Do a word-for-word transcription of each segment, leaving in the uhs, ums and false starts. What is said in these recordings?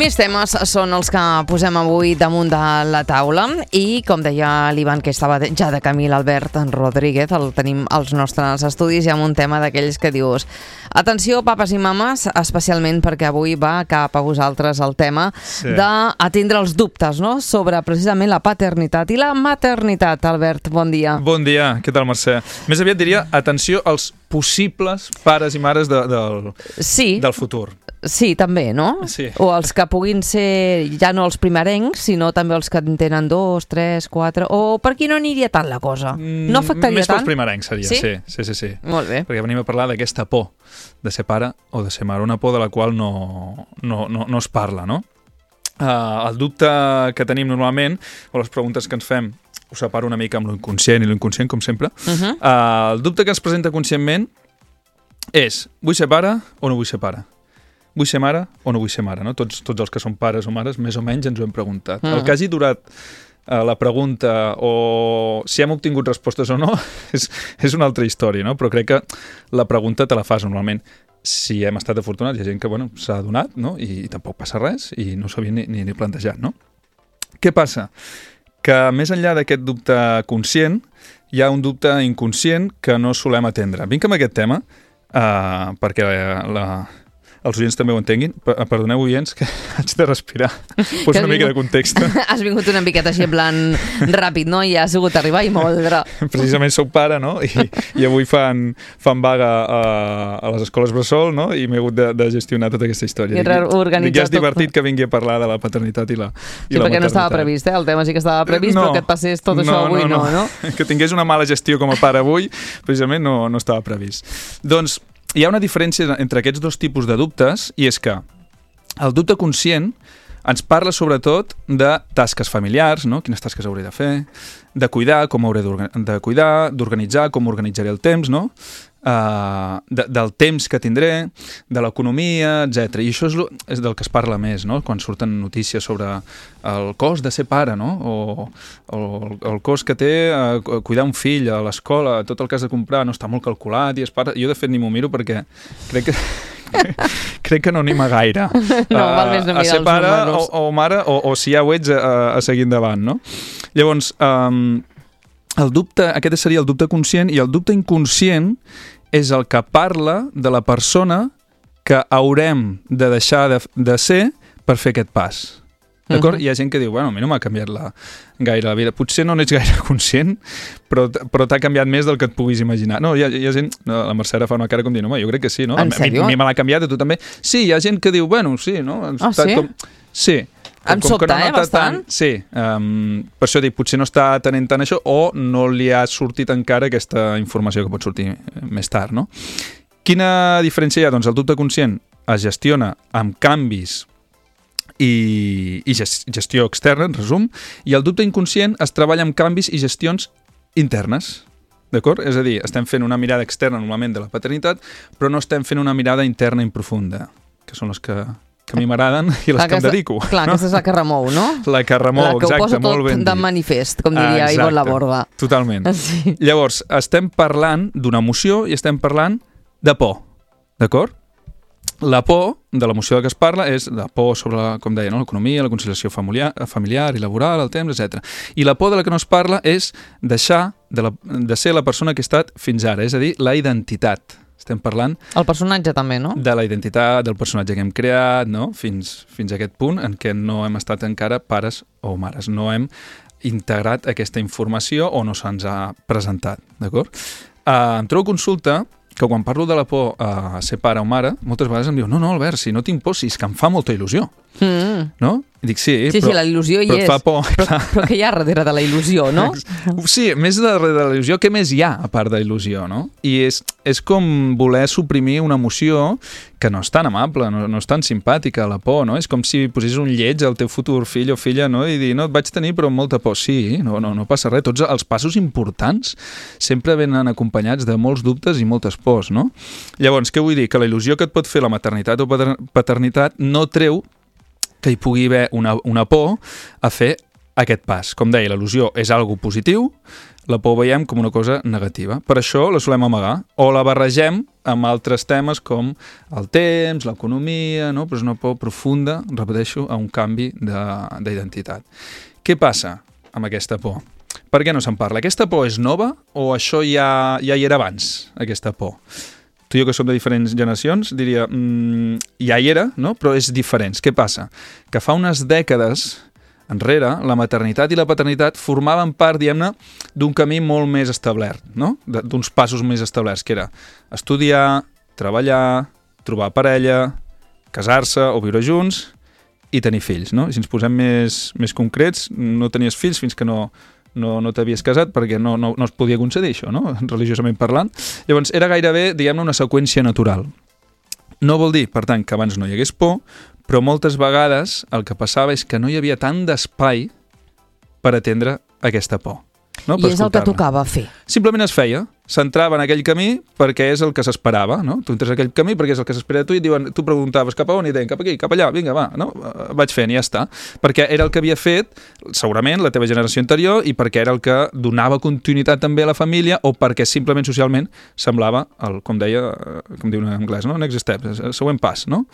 Quins temes són els que posem avui damunt de la taula? I, com deia l'Ivan, que estava ja de camí, l'Albert Rodríguez, el tenim als nostres estudis, i amb un tema d'aquells que dius: atenció, papes i mames, especialment perquè avui va cap a vosaltres el tema sí. d'atendre els dubtes, no?, sobre precisament la paternitat i la maternitat. Albert, bon dia. Bon dia, què tal, Mercè? Més aviat diria, atenció als possibles pares i mares de, del, sí. del futur. Sí, també, no? Sí. O els que puguin ser ja no els primerencs, sinó també els que en tenen dos, tres, quatre... O per aquí no aniria tant la cosa? No afectaria Més tant? Més pels primerencs seria, sí? Sí, sí, sí, sí. Molt bé. Perquè venim a parlar d'aquesta por de ser pare o de ser mare, una por de la qual no, no, no, no es parla, no? Uh, el dubte que tenim normalment, o les preguntes que ens fem, ho separo una mica amb l'inconscient i l'inconscient, com sempre. Uh-huh. uh, el dubte que ens presenta conscientment és: vull ser pare o no vull ser pare? Vull ser mare o no vull ser mare? No? Tots, tots els que són pares o mares, més o menys, ens ho hem preguntat. Uh-huh. El que hagi durat uh, la pregunta o si hem obtingut respostes o no és, és una altra història, no? Però crec que la pregunta te la fas normalment. Si hem estat afortunats, hi ha gent que bueno, s'ha adonat, no? I, i tampoc passa res i no s'havia ni, ni, ni plantejat, no? Què passa? Que més enllà d'aquest dubte conscient, hi ha un dubte inconscient que no solem atendre. Vinc amb aquest tema uh, perquè la, la, els oients també ho entenguin. Perdoneu, oients, que haig de respirar. Poso una mica de context. Has vingut una miqueta així en plan ràpid, no? I ha sigut arribar i moldre. Precisament soc pare, no? I, i avui fan, fan vaga a, a les escoles bressol, no? I m'he hagut de, de gestionar tota aquesta història. I reorganitzar ja és divertit tot. Que vingui a parlar de la paternitat i la, i sí, la perquè maternitat. No estava previst, eh? El tema sí que estava previst, no, però que et passés tot no, això avui no, no, no, no. Que tingués una mala gestió com a pare avui, precisament no, no estava previst. Doncs hi ha una diferència entre aquests dos tipus de dubtes, i és que el dubte conscient ens parla sobretot de tasques familiars, no? Quines tasques hauré de fer, de cuidar, com hauré de cuidar, d'organitzar, com organitzaré el temps, no? Uh, de, del temps que tindré, de l'economia, etcètera. I això és, lo, és del que es parla més, no? Quan surten notícies sobre el cost de ser pare, no? O, o el cost que té uh, cuidar un fill a l'escola, tot el que has de comprar no està molt calculat i és pare. Jo de fet ni m'ho miro perquè crec que crec que no anima gaire no, uh, val més no a ser pare o, o mare, o, o si ja ho ets, a, a seguir endavant, no? Llavors, um, el dubte, aquest seria el dubte conscient, i el dubte inconscient és el que parla de la persona que haurem de deixar de, de ser per fer aquest pas. D'acord? Uh-huh. Hi ha gent que diu, bueno, a mi no m'ha canviat la, gaire la vida. Potser no n'ets gaire conscient, però, però t'ha canviat més del que et puguis imaginar. No, hi ha, hi ha gent... No, la Mercè ara fa una cara com dient, home, jo crec que sí, no? En sèrio? A mi, a mi me l'ha canviat, a tu també. Sí, hi ha gent que diu, bueno, sí, no? Ah, sí? Com... Sí. Em sobta, no eh, bastant? Tant, sí, um, per això dic, potser no està tenint tant això o no li ha sortit encara aquesta informació que pot sortir més tard, no? Quina diferència hi ha? Doncs el dubte conscient es gestiona amb canvis i, i gestió externa, en resum, i el dubte inconscient es treballa amb canvis i gestions internes. D'acord? És a dir, estem fent una mirada externa normalment de la paternitat, però no estem fent una mirada interna i profunda, que són les que... que a mi m'agraden i les aquesta, que em dedico. Clar, no? Aquesta és la que remou, no? La que remou, exacte, molt ben dit. La que ho posa tot de manifest, com diria Ivonne Laborda. Totalment. Sí. Llavors, estem parlant d'una emoció i estem parlant de por, d'acord? La por, de l'emoció de què es parla, és la por sobre, la, com deia, no? L'economia, la conciliació familiar, familiar i laboral, el temps, etcètera. I la por de la que no es parla és deixar de, la, de ser la persona que he estat fins ara, és a dir, la identitat. Estem parlant... El personatge també, no? De la identitat, del personatge que hem creat, no? Fins, fins a aquest punt en què no hem estat encara pares o mares. No hem integrat aquesta informació o no se'ns ha presentat, d'acord? Uh, em trobo consulta que quan parlo de la por a ser pare o mare, moltes vegades em diu, no, no, Albert, si no tinc por, si és que em fa molta il·lusió. Mm. No? I dic, sí, sí, però, sí, la il·lusió hi però és. Fa por, però, però què hi ha darrere de la il·lusió, no? Sí, més darrere de la il·lusió, què més hi ha a part de la il·lusió, no? I és, és com voler suprimir una emoció que no és tan amable, no, no és tan simpàtica, la por, no? És com si posessis un lleig al teu futur fill o filla, no? I dir, no, et vaig tenir però amb molta por. Sí, no, no, no passa res. Tots els passos importants sempre venen acompanyats de molts dubtes i moltes pors, no? Llavors, què vull dir? Que la il·lusió que et pot fer la maternitat o paternitat no treu que hi pugui haver una, una por a fer aquest pas. Com deia, l'il·lusió és algo positiu, la por veiem com una cosa negativa. Per això la solem amagar o la barregem amb altres temes com el temps, l'economia, no? Però és una por profunda, repeteixo, a un canvi d'identitat. Què passa amb aquesta por? Per què no se'n parla? Aquesta por és nova o això ja, ja hi era abans, aquesta por? Tu i jo, que som de diferents generacions, diria, mmm, ja hi era, no? Però és diferent. Què passa? Que fa unes dècades enrere, la maternitat i la paternitat formaven part, diguem-ne, d'un camí molt més establert, no? D'uns passos més establerts, que era estudiar, treballar, trobar parella, casar-se o viure junts i tenir fills, no? Si ens posem més, més concrets, no tenies fills fins que no, no, no t'havies casat perquè no, no, no es podia concedir això, no? Religiosament parlant. Llavors, era gairebé, diguem-ne, una seqüència natural. No vol dir, per tant, que abans no hi hagués por, però moltes vegades el que passava és que no hi havia tant d'espai per atendre aquesta por. No? I és el que tocava fer. Simplement es feia. S'entrava en aquell camí perquè és el que s'esperava, no? Tu entres en aquell camí perquè és el que s'espera de tu i et diuen, tu preguntaves cap a on i deien cap aquí, cap allà, vinga, va, no? Vaig fent i ja està. Perquè era el que havia fet, segurament, la teva generació anterior i perquè era el que donava continuïtat també a la família o perquè simplement socialment semblava, el, com deia, com diu en anglès, no? Next step, el següent pas, no?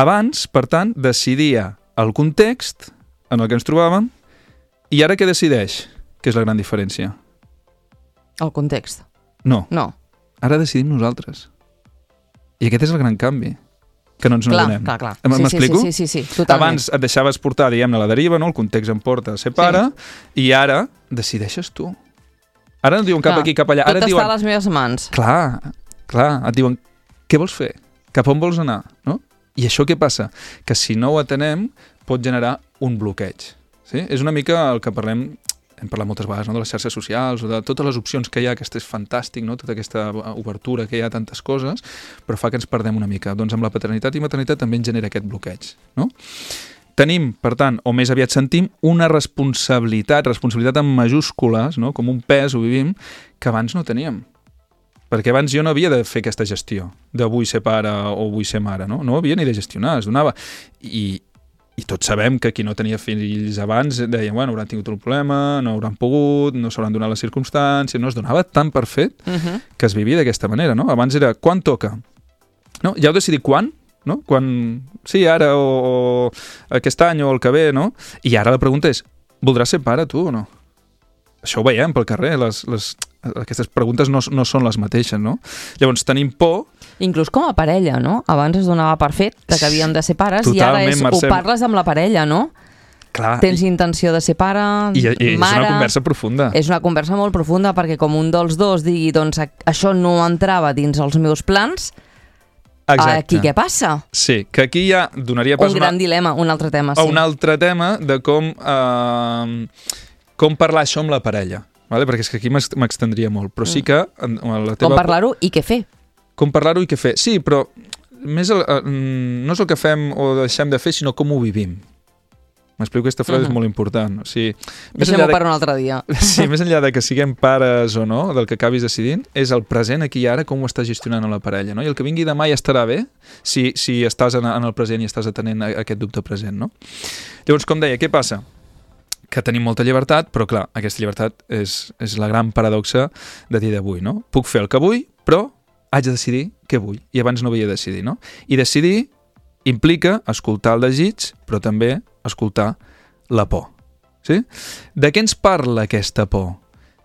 Abans, per tant, decidia el context en el que ens trobàvem i ara què decideix? Que és la gran diferència. El context. No. No. Ara decidim nosaltres. I aquest és el gran canvi, que no ens n'adonem. Clar, clar, clar. M'explico? Sí, sí, sí, sí, totalment. Abans et deixaves portar, diguem-ne, la deriva, no? El context em porta a ser pare, sí. I ara decideixes tu. Ara no diuen cap clar, aquí, cap allà. Ara tot diuen, està a les meves mans. Clar, clar. Et diuen, què vols fer? Cap on vols anar? No? I això què passa? Que si no ho atenem, pot generar un bloqueig. Sí? És una mica el que parlem... Hem parlat moltes vegades, no? De les xarxes socials o de totes les opcions que hi ha, que és fantàstic, no? Tota aquesta obertura que hi ha, tantes coses, però fa que ens perdem una mica. Doncs amb la paternitat i maternitat també ens genera aquest bloqueig, no? Tenim, per tant, o més aviat sentim, una responsabilitat, responsabilitat en majúscules, no? Com un pes, ho vivim, que abans no teníem. Perquè abans jo no havia de fer aquesta gestió, de vull ser pare o vull ser mare, no? No havia ni de gestionar, es donava. I... I tots sabem que qui no tenia fills abans deien, bueno, hauran tingut un problema, no hauran pogut, no s'hauran donat les circumstàncies, no es donava tan per fet uh-huh. que es vivia d'aquesta manera, no? Abans era, quan toca? No? Ja heu decidit quan? No? Quan, sí, ara o, o aquest any o el que ve, no? I ara la pregunta és, voldràs ser pare tu o no? Això ho veiem pel carrer, les, les, aquestes preguntes no, no són les mateixes, no? Llavors tenim por... Inclús com a parella, no? Abans es donava per fet que havíem de ser pares. Totalment, i ara és, ho parles amb la parella, no? Clar. Tens intenció de ser pare, I, i mare... És una conversa profunda. És una conversa molt profunda perquè com un dels dos digui doncs això no entrava dins els meus plans, exacte. Aquí què passa? Sí, que aquí ja donaria pas... Un gran una... dilema, un altre tema, sí. O un altre tema de com, eh, com parlar això amb la parella. Vale? Perquè és que aquí m'extendria molt, però sí que... En, en la teva... Com parlar-ho i què fer. Com parlar-ho i què fer. Sí, però més el, eh, no és el que fem o deixem de fer, sinó com ho vivim. M'explico, aquesta frase uh-huh. és molt important. O sigui, deixem-ho de... per un altre dia. Sí, més enllà de que siguem pares o no, del que acabis decidint, és el present aquí i ara, com ho estàs gestionant a la parella. No? I el que vingui demà ja estarà bé si, si estàs en, en el present i estàs atenent aquest dubte present. No? Llavors, com deia, què passa? Que tenim molta llibertat, però clar, aquesta llibertat és, és la gran paradoxa de dia d'avui. No? Puc fer el que vull, però haig de decidir què vull. I abans no havia de decidir, no? I decidir implica escoltar el desig, però també escoltar la por. Sí? De què ens parla aquesta por?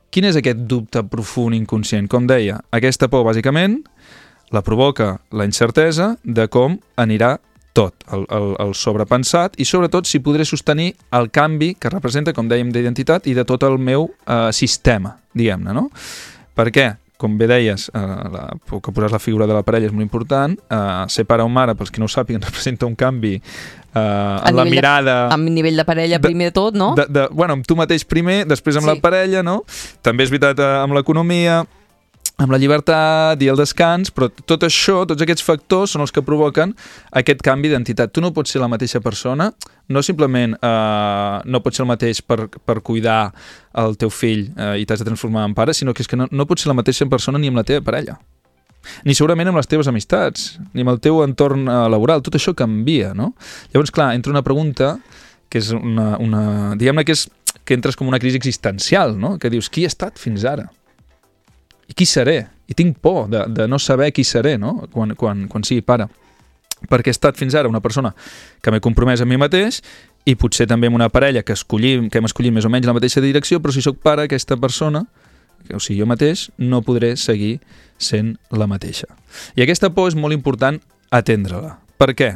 Quin és aquest dubte profund inconscient? Com deia, aquesta por, bàsicament, la provoca la incertesa de com anirà tot, el, el, el sobrepensat, i sobretot si podré sostenir el canvi que representa, com dèiem, d'identitat i de tot el meu eh, sistema, diguem-ne, no? Per què? Com bé deies, eh, la, que posàs la figura de la parella és molt important. Eh, ser pare o mare, pels qui no ho sàpiguen, representa un canvi eh, en la mirada... De, amb nivell de parella de, primer de tot, no? De, de, bueno, amb tu mateix primer, després amb sí. la parella, no? També és veritat eh, amb l'economia, amb la llibertat i el descans, però tot això, tots aquests factors són els que provoquen aquest canvi d'identitat. Tu no pots ser la mateixa persona, no simplement eh, no pots ser el mateix per, per cuidar el teu fill eh, i t'has de transformar en pare, sinó que és que no, no pots ser la mateixa persona ni amb la teva parella. Ni segurament amb les teves amistats, ni amb el teu entorn eh, laboral. Tot això canvia, no? Llavors, clar, entra una pregunta que és una, una diguem-ne que és que entres com una crisi existencial, no? Que dius, qui he estat fins ara? I qui seré? I tinc por de, de no saber qui seré, no? Quan, quan, quan sigui pare. Perquè he estat fins ara una persona que m'he compromès amb mi mateix i potser també amb una parella que escollim, que hem escollit més o menys la mateixa direcció, però si sóc pare, aquesta persona, o sigui, jo mateix, no podré seguir sent la mateixa. I aquesta por és molt important atendre-la. Per què?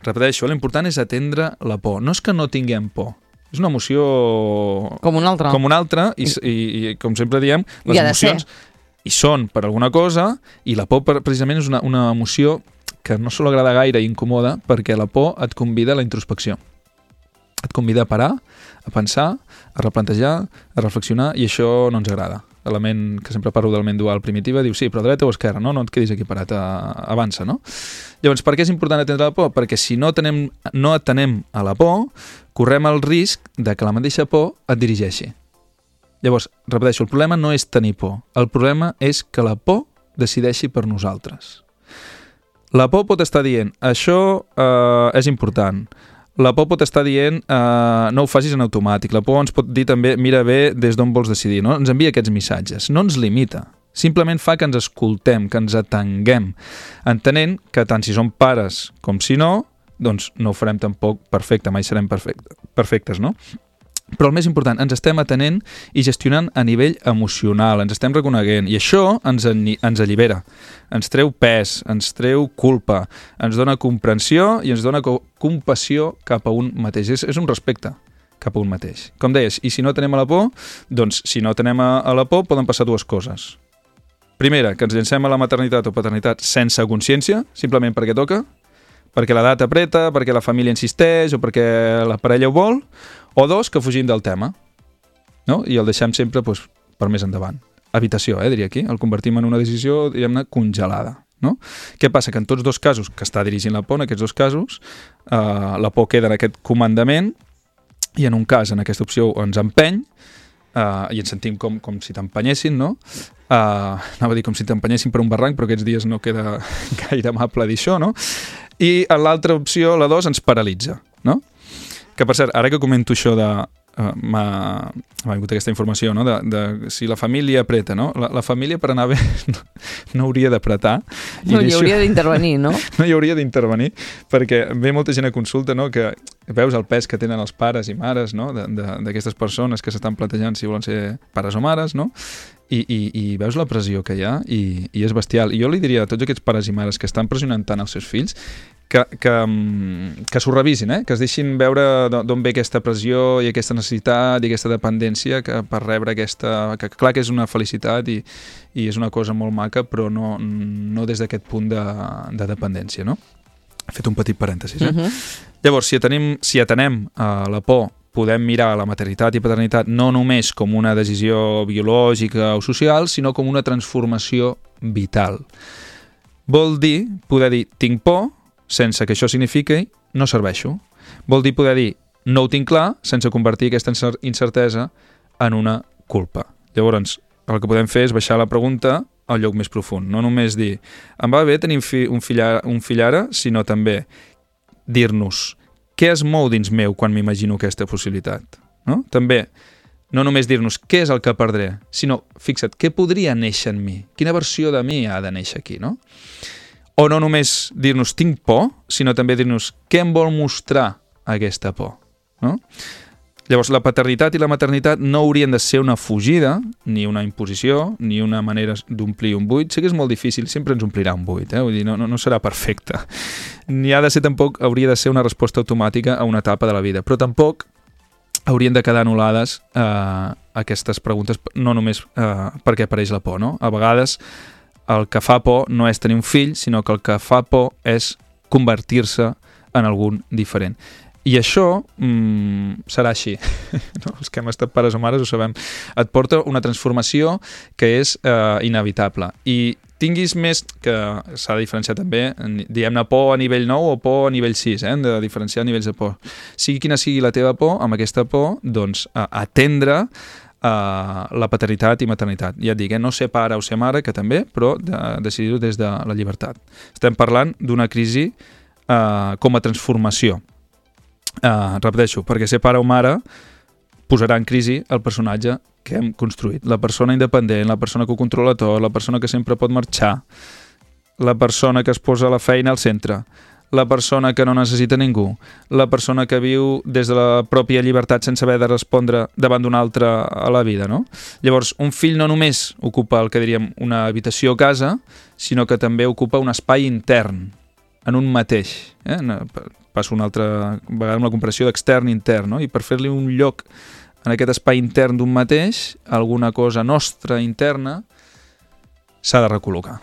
Repeteixo, l'important és atendre la por. No és que no tinguem por, és una emoció... Com una altra. Com una altra, i, i, i com sempre diem, les emocions hi són per alguna cosa, i la por precisament és una, una emoció que no sol agrada gaire i incomoda, perquè la por et convida a la introspecció. Et convida a parar, a pensar, a replantejar, a reflexionar, i això no ens agrada. L'element que sempre parlo de l'element dual primitiva diu, sí, però dreta o esquerra, no? No et quedis aquí parat, a, avança, no? Llavors, per què és important atendre la por? Perquè si no, tenem, no atenem a la por, correm el risc de que la mateixa por et dirigeixi. Llavors, repeteixo, el problema no és tenir por, el problema és que la por decideixi per nosaltres. La por pot estar dient, això eh, és important. La por pot estar dient, eh, no ho facis en automàtic. La por ens pot dir també, mira bé des d'on vols decidir. No? Ens envia aquests missatges. No ens limita. Simplement fa que ens escoltem, que ens atenguem, entenent que tant si som pares com si no, doncs no ho farem tampoc perfecte, mai serem perfecte, perfectes, no? Però el més important, ens estem atenent i gestionant a nivell emocional, ens estem reconeguent, i això ens, ens allibera, ens treu pes, ens treu culpa, ens dona comprensió i ens dona compassió cap a un mateix. És, és un respecte cap a un mateix. Com deies, i si no tenem a la por, doncs si no tenem a, a la por poden passar dues coses. Primera, que ens llancem a la maternitat o paternitat sense consciència, simplement perquè toca, perquè l'edat apreta, perquè la família insisteix o perquè la parella ho vol, o dos, que fugim del tema, no? I el deixem sempre doncs, per més endavant. Evitació, eh, diria aquí. El convertim en una decisió, diguem-ne, congelada. No? Què passa? Que en tots dos casos, que està dirigint la por, en aquests dos casos, eh, la por queda en aquest comandament i en un cas, en aquesta opció, ens empeny uh, i ens sentim com, com si t'empenyessin, no? Uh, anava a dir com si t'empenyessin per un barranc, però aquests dies no queda gaire amable dir això, no? I en l'altra opció, la dos, ens paralitza, no? Que, per cert, ara que comento això de... Uh, m'ha vingut aquesta informació, no? de, de si la família apreta, no? La, la família per anar bé no, no hauria d'apretar. No hi hauria d'intervenir, no? No hi hauria d'intervenir, perquè ve molta gent a consulta, no? Que veus el pes que tenen els pares i mares, no? D'aquestes persones que s'estan plantejant si volen ser pares o mares, no? I, i, i veus la pressió que hi ha i, i és bestial. I jo li diria a tots aquests pares i mares que estan pressionant tant els seus fills que, que, que s'ho revisin, eh? Que es deixin veure d'on ve aquesta pressió i aquesta necessitat i aquesta dependència que per rebre aquesta... que clar que és una felicitat i, i és una cosa molt maca, però no, no des d'aquest punt de, de dependència, no? He fet un petit parèntesis, eh? Uh-huh. Llavors, si atenem, si atenem a la por, podem mirar la maternitat i paternitat no només com una decisió biològica o social, sinó com una transformació vital. Vol dir, poder dir, tinc por, sense que això signifiqui no serveixo. Vol dir poder dir no ho tinc clar sense convertir aquesta incertesa en una culpa. Llavors, el que podem fer és baixar la pregunta al lloc més profund. No només dir em va bé tenir un fill ara, un fill ara sinó també dir-nos què es mou dins meu quan m'imagino aquesta possibilitat. No? També, no només dir-nos què és el que perdré, sinó, fixa't, què podria néixer en mi? Quina versió de mi ha de néixer aquí, no? O no només dir-nos tinc por, sinó també dir-nos què em vol mostrar aquesta por, no? Llavors, la paternitat i la maternitat no haurien de ser una fugida, ni una imposició, ni una manera d'omplir un buit. Sé que és molt difícil, sempre ens omplirà un buit, eh? Vull dir, no, no, no serà perfecte. Ni ha de ser tampoc, hauria de ser una resposta automàtica a una etapa de la vida, però tampoc haurien de quedar anul·lades eh, aquestes preguntes, no només eh, perquè apareix la por, no? A vegades el que fa por no és tenir un fill, sinó que el que fa por és convertir-se en algun diferent. I això mm, serà així. No? Els que hem estat pares o mares ho sabem. Et porta una transformació que és eh, inevitable. I tinguis més, que s'ha de diferenciar també, diguem-ne por a nivell nou o por a nivell sis, eh? Hem de diferenciar nivells de por. Sigui quina sigui la teva por, amb aquesta por, doncs, eh, atendre Uh, la paternitat i maternitat. Ja et dic, eh? No ser pare o ser mare, que també, però de, decidir-ho des de la llibertat. Estem parlant d'una crisi uh, com a transformació. Uh, repeteixo, perquè ser pare o mare posarà en crisi el personatge que hem construït. La persona independent, la persona que ho controla tot, la persona que sempre pot marxar, la persona que es posa la feina al centre, la persona que no necessita ningú, la persona que viu des de la pròpia llibertat sense haver de respondre davant d'un altre a la vida, no? Llavors, un fill no només ocupa el que diríem una habitació a casa, sinó que també ocupa un espai intern, en un mateix. Eh? Passo una altra vegada amb la comparació d'extern i intern, no? I per fer-li un lloc en aquest espai intern d'un mateix, alguna cosa nostra interna s'ha de recol·locar.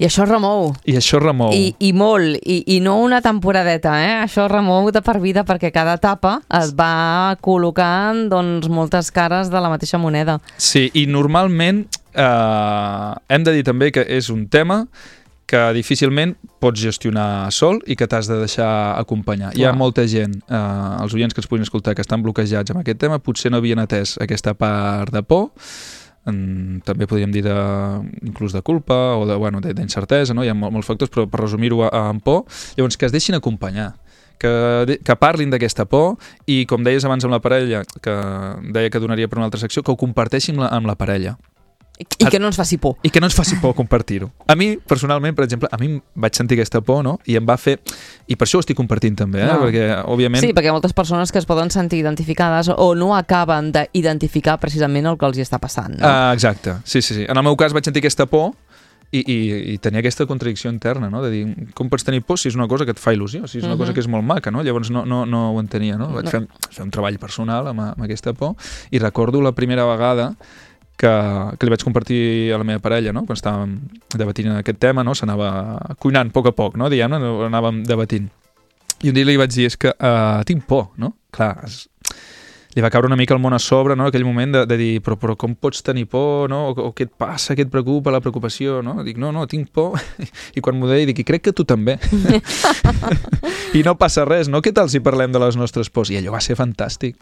I això remou. I això remou. I, i molt, I, i no una temporadeta, eh? Això remou de per vida perquè cada etapa es va col·locant doncs, moltes cares de la mateixa moneda. Sí, i normalment eh, hem de dir també que és un tema que difícilment pots gestionar sol i que t'has de deixar acompanyar. Clar. Hi ha molta gent, eh, els oients que ens puguin escoltar, que estan bloquejats amb aquest tema, potser no havien atès aquesta part de por, en, també podríem dir de, inclús de culpa o de, bueno, d'incertesa, no? Hi ha mol, molts factors, però per resumir-ho en por, llavors que es deixin acompanyar, que, que parlin d'aquesta por i, com deies abans amb la parella, que deia que donaria per una altra secció, que ho comparteixin amb la, amb la parella. I que no ens faci por. I que no ens faci por compartir-ho. A mi, personalment, per exemple, a mi vaig sentir aquesta por, no? I em va fer... I per això ho estic compartint també, eh? No. Perquè, òbviament... Sí, perquè hi ha moltes persones que es poden sentir identificades o no acaben d'identificar precisament el que els hi està passant, no? Ah, exacte. Sí, sí, sí. En el meu cas vaig sentir aquesta por i, i, i tenia aquesta contradicció interna, no? De dir, com pots tenir por si és una cosa que et fa il·lusió, si és una uh-huh. cosa que és molt maca, no? Llavors no, no, no ho entenia, no? Vaig no. Fer, fer un treball personal amb, amb aquesta por i recordo la primera vegada que, que li vaig compartir a la meva parella, no? Quan estàvem debatint aquest tema, no? S'anava cuinant a poc a poc, no? Diguem-ne, anàvem debatint. I un dia li vaig dir, és que uh, tinc por, no? Clar, es, li va caure una mica el món a sobre, no? Aquell moment de, de dir, però, però com pots tenir por, no? O, o què et passa, què et preocupa, la preocupació, no? Dic, no, no, tinc por. I quan m'ho deia, dic, i crec que tu també. I no passa res, no? Què tal si parlem de les nostres pors? I allò va ser fantàstic.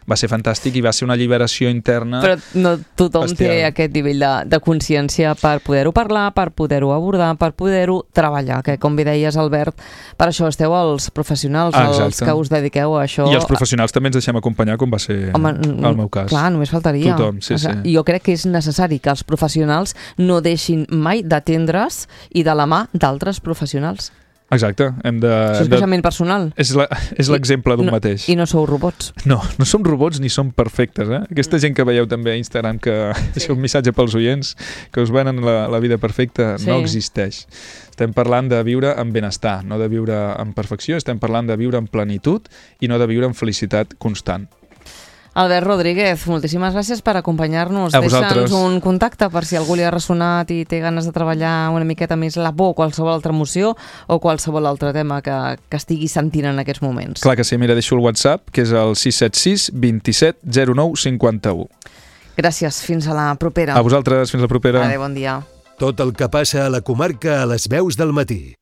Va ser fantàstic i va ser una alliberació interna. Però no tothom bestial. Té aquest nivell de, de consciència per poder-ho parlar, per poder-ho abordar, per poder-ho treballar, que com bé deies, Albert, per això esteu els professionals, ah, els que us dediqueu a això. I els professionals també ens deixem acompanyar, com va ser Home, el meu cas. Clar, només faltaria. Tothom, sí, sí. I jo crec que és necessari que els professionals no deixin mai d'atendre's i de la mà d'altres professionals. Exacte. Hem de, Això és creixement personal. És l'exemple d'un no, mateix. I no sou robots. No, no som robots ni som perfectes. Eh? Aquesta gent que veieu també a Instagram, que sí. És un missatge pels oients, que us venen la, la vida perfecta, sí. No existeix. Estem parlant de viure amb benestar, no de viure amb perfecció, estem parlant de viure amb plenitud i no de viure amb felicitat constant. Albert Rodríguez, moltíssimes gràcies per acompanyar-nos. Deixa'ns un contacte per si algú li ha ressonat i té ganes de treballar una miqueta més la por, qualsevol altra emoció o qualsevol altre tema que, que estigui sentint en aquests moments. Clar que sí, mira, deixo el WhatsApp, que és el sis set sis, dos set, zero nou, cinquanta u. Gràcies, fins a la propera. A vosaltres, fins la propera. Adéu, bon dia. Tot el que passa a la comarca a les veus del matí.